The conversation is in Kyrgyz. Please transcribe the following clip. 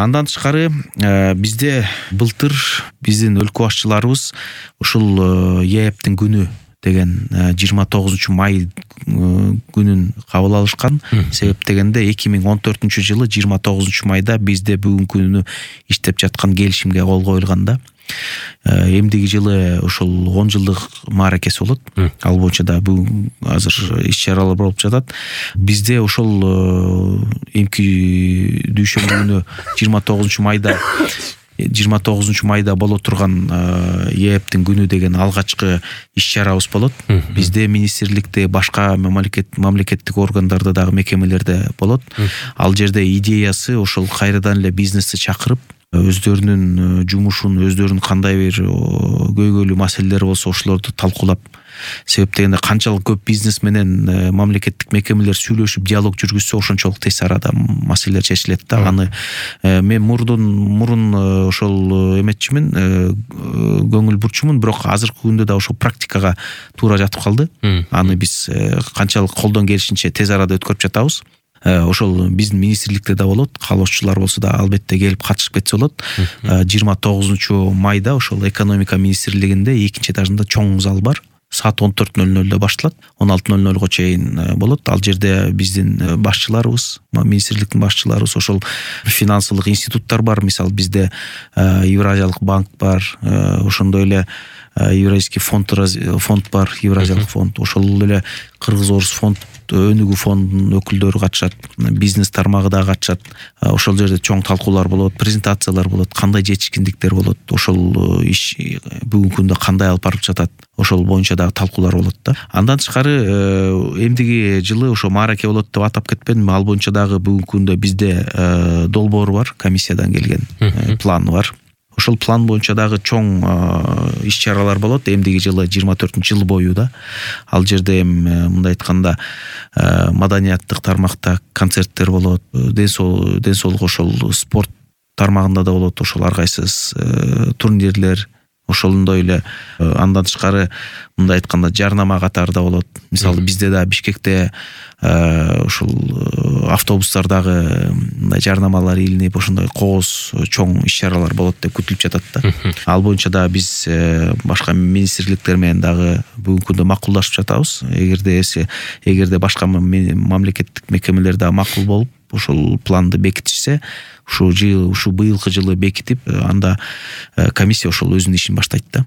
Андан тышкары бизде былтыр биздин өлкө башчыларыбыз ушул ЕЭПтин күнү деген 29 май күнүн кабыл алышкан. Себеп дегенде 2014-жылы 29 майда бизде бүгүнкү күнү иштеп жаткан келишимге кол коюлган да. Эмдиги жылы ошол 10 жылдык мааракеси болот. Ал боюнча да бүгүн азыр иш-чаралар болуп жатат. Бизде ошол эмки дүйшөмбү күнү 29 майда боло турган ЕЭПтин күнү деген алгачкы иш-чарабыз болот. Бизде министрликте, башка мамлекеттик органдарда дагы мекемелерде болот. Ал жерде идеясы ошол кайрадан эле бизнести чакырып, өздөрүнүн жумушун, өздөрүнүн кандай бир көйгөйлүү маселелери болсо ошолорду талкуулап, себеп дегенде канчалык көп бизнес менен мамлекеттик мекемелер сүйлөшүп диалог жүргүзсө ошончолук тез арада маселелер чечилет да. Аны мен мурун ошол эметчимин, көңүл бурчумун, бирок азыркы күндө да ошол практикага туура жатып калды. Аны биз канчалык колдон келишинче тез арада өткөрүп жатабыз. Ошол биздин министрликте да болот, каалоочулар болсо да албетте келип катышып кетсе болот. 29 майда ошол экономика министрлигинде 2-этажында чоң зал бар. Саат 14:00 башталат, 16:00 чейин болот. Ал жерде биздин башчыларыбыз, министрликтин башчыларыбыз, ошол финансылык институттар бар. Мисалы бизде Евразиялык банк бар, ошондой эле Евразийский фонд бар, Евразиялык фонд, ошол эле Кыргыз-Орус фонд, Өнүгүү фондунун өкүлдөрү катышат, бизнес тармагы да катышат. Ошол жерде чоң талкуулар болот, презентациялар болот, кандай жетишкиндиктер болот, ошол иш бүгүнкү күндө кандай алып барып жатат, ошол боюнча дагы талкуулар болот да. Андан тышкары эмдиги жылы ошо маараке болот деп атап кетпедим. Ал боюнча дагы бүгүнкү күндө бизде долбоор бар, комиссиядан келген план бар. Ошол план боюнча дагы чоң иш-чаралар болот эмдиги жылы 24-жыл бою да. Ал жерде мындай айтканда маданияттык тармакта концерттер болот, ден соолук ошол спорт тармагында да болот, ошол ар кайсыз турнирлер, ошондой эле андан тышкары мындай айтканда жарнама катары да болот. Мисалы бизде да Бишкекте ошол автобустардагы мындай жарнамалар илинип, ошондой когоз чоң иш-чаралар болот деп күтүлүп жатат да. Ал боюнча да биз башка министрликтер менен дагы бүгүнкү күндө макулдашып жатабыз. Эгерде башка мамлекеттик мекемелер да макул болуп ошол планды бекитишсе, ушу быйылкы жылы бекитип, анда комиссия ошол өзүнүн ишин баштайт да.